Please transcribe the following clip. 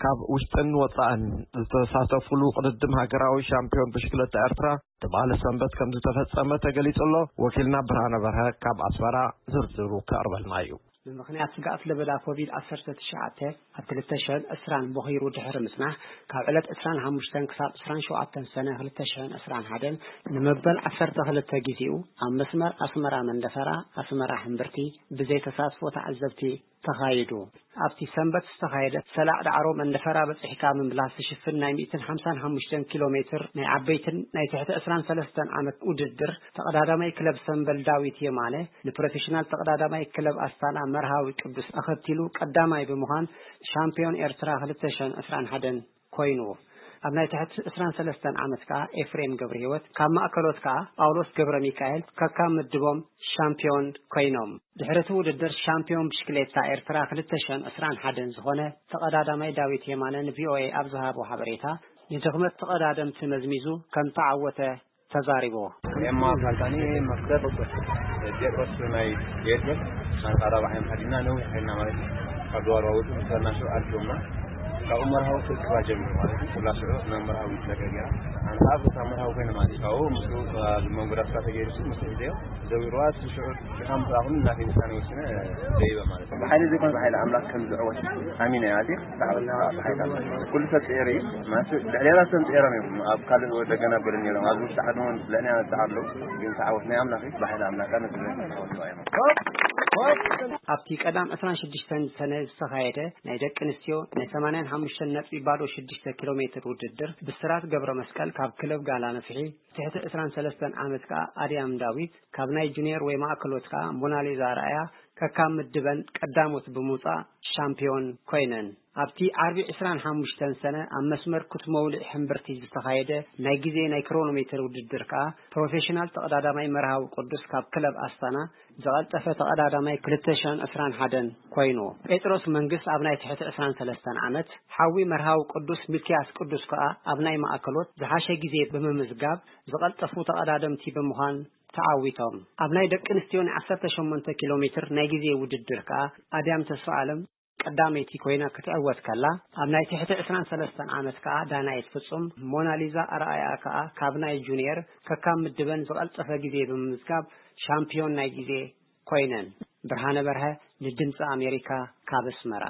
ካብ ውሽጥን ወጻእን ዝተሳተፉሉ ቅድድም ሃገራዊ ሻምፒዮን ብሽክለታ ኤርትራ ትማሊ ሰንበት ከም ዝተፈጸመ ተገሊጹ ኣሎ። ወኪልና ብርሃነ በርሀ ካብ ኣስመራ ዝርዝሩ ከቕርበልና እዩ። ብምኽንያት ስግኣት ለበዳ ኮቪድ ዓሰርተ ትሽዓተ ኣብ ክልተ ሽሕን ዕስራን ቦኺሩ ድሕሪ ምጽናሕ፣ ካብ ዕለት ዕስራን ሓሙሽተን ክሳብ ዕስራን ሸውዓተን ሰነ ክልተ ሽሕን ዕስራን ሓደን ንመበል ዓሰርተ ክልተ ግዜኡ ኣብ መስመር ኣስመራ መንደፈራ፣ ኣስመራ ሕምብርቲ ብዘይ ተሳትፎ ተዓዘብቲ ተኻይዱ። ኣብቲ ሰንበት ዝተኻየደ ሰላዕ ዳዕሮ መንደፈራ በጺሕካ ምምላስ ዝሽፍን ናይ ሚእትን ሓምሳን ሓሙሽተን ኪሎ ሜትር ናይ ዓበይትን ናይ ትሕቲ ዕስራን ሰለስተን ዓመት ውድድር፣ ተቐዳዳማይ ክለብ ሰምበል ዳዊት የማነ ንፕሮፌሽናል ተቐዳዳማይ ክለብ ኣስታና መርሃዊ ቅዱስ ኣኸቲሉ ቀዳማይ ብምዃን ሻምፒዮን ኤርትራ ክልተ ሽሕን ዕስራን ሓደን ኮይኑ። ኣብ ናይ ትሕቲ ዕስራን ሰለስተን ዓመት ከኣ ኤፍሬም ገብረህይወት ካብ ማእከሎት ከኣ ጳውሎስ ገብረ ሚካኤል ከካብ ምድቦም ሻምፒዮን ኮይኖም። ድሕሪ እቲ ውድድር ሻምፒዮን ብሽክሌታ ኤርትራ ክልተ ሽሕን ዕስራን ሓደን ዝኾነ ተቐዳዳማይ ዳዊት የማነ ንቪኦኤ ኣብ ዝሃቦ ሓበሬታ፣ ንድኽመት ተቐዳደምቲ መዝሚዙ ከም ተዓወተ ተዛሪቡ። ኤማ ካልታኒ መክተብ ጴጥሮስ ናይ ጌርጌስ ሻንጣ ራብዓይ ሓዲና ነዊሕ ኮይና ማለት እዩ። ካብ ድዋር ዋውቱ ምስ በልና ሽዑ ኣልኪዮምና። ካብኡ መርሃዊ ክእክባ ጀሚሩ ማለት እዩ። ኩላ ሽዑ ናብ መርሃዊ ይትለቀ ገይራ። ኣነ ኣብ ቦታ መርሃዊ ኮይነ ማለት እዩ። ካብኡ ምስኡ ኣብ መንጎ ዳስካ ተገይሩ ምስ ሒዘዮ ዘዊርዋ እቲ ሽዑ ሽሓ ምስ ኣኹም እናቴ ውሳኔ ወሲነ ደይበ ማለት እዩ። ብሓይሊ ዘይኮነ ብሓይሊ ኣምላኽ ከም ዝዕወት ኣሚነ እየ ኣትየ። ብዛዕባ ብሓይሊ ኣምላኽ ኩሉ ሰብ ጽዒሩ እዩ። ማለት ልዕሌና ሰብ ጽዒሮም እዮም። ኣብ ካልእ ወደገና ገለ ነይሮም። ኣብዚ ውሽጢ ዓዲ እውን ልዕሌና ዝጸዓሩ ኣለዉ። ግን ተዓወት ናይ ኣምላኽ እዩ። ብሓይሊ ኣምላኽ ነቲ ተዓወት እዩ። ኣብቲ ቀዳም ዕስራን ሽዱሽተን ሰነ ዝተኻየደ ናይ ደቂ ኣንስትዮ ናይ ሰማንያን ሓሙሽተን ነጥቢ ባዶ ሽዱሽተ ኪሎ ሜትር ውድድር ብስራት ገብረ መስቀል ካብ ክለብ ጋላ ነፍሒ ትሕቲ ዕስራን ሰለስተን ዓመት ከኣ ኣድያም ዳዊት ካብ ናይ ጁኒየር ወይ ማእከሎት ከኣ ሞናሊዛ ኣርኣያ ከካብ ምድበን ቀዳሞት ብምውጻእ ሻምፒዮን ኮይነን። ኣብቲ ዓርቢ ዕስራን ሓሙሽተን ሰነ ኣብ መስመር ኩትመውሊዕ ሕምብርቲ ዝተኻየደ ናይ ግዜ ናይ ክሮኖሜትር ውድድር ከኣ ፕሮፌሽናል ተቐዳዳማይ መርሃዊ ቅዱስ ካብ ክለብ ኣስታና ዝቐልጠፈ ተቐዳዳማይ ክልተ ሽሕን ዕስራን ሓደን ኮይኑ። ጴጥሮስ መንግስት ኣብ ናይ ትሕቲ ዕስራን ሰለስተን ዓመት፣ ሓዊ መርሃዊ ቅዱስ ሚልክያስ ቅዱስ ከኣ ኣብ ናይ ማእከሎት ዝሓሸ ግዜ ብምምዝጋብ ዝቐልጠፉ ተቐዳደምቲ ብምዃን ተዓዊቶም። ኣብ ናይ ደቂ ኣንስትዮ ናይ ዓሰርተ ሸሞንተ ኪሎ ሜትር ናይ ግዜ ውድድር ከኣ ኣድያም ተስፋ ኣለም ቀዳመይቲ ኮይና ክትዕወት ከላ፣ ኣብ ናይ ትሕቲ ዕስራን ሰለስተን ዓመት ከኣ ዳናይት ፍጹም፣ ሞናሊዛ ኣርኣያ ከኣ ካብ ናይ ጁኒየር ከካብ ምድበን ዝቐልጠፈ ግዜ ብምምዝጋብ ሻምፒዮን ናይ ግዜ ኮይነን። ብርሃነ በርሀ ንድምፂ ኣሜሪካ ካብ ኣስመራ።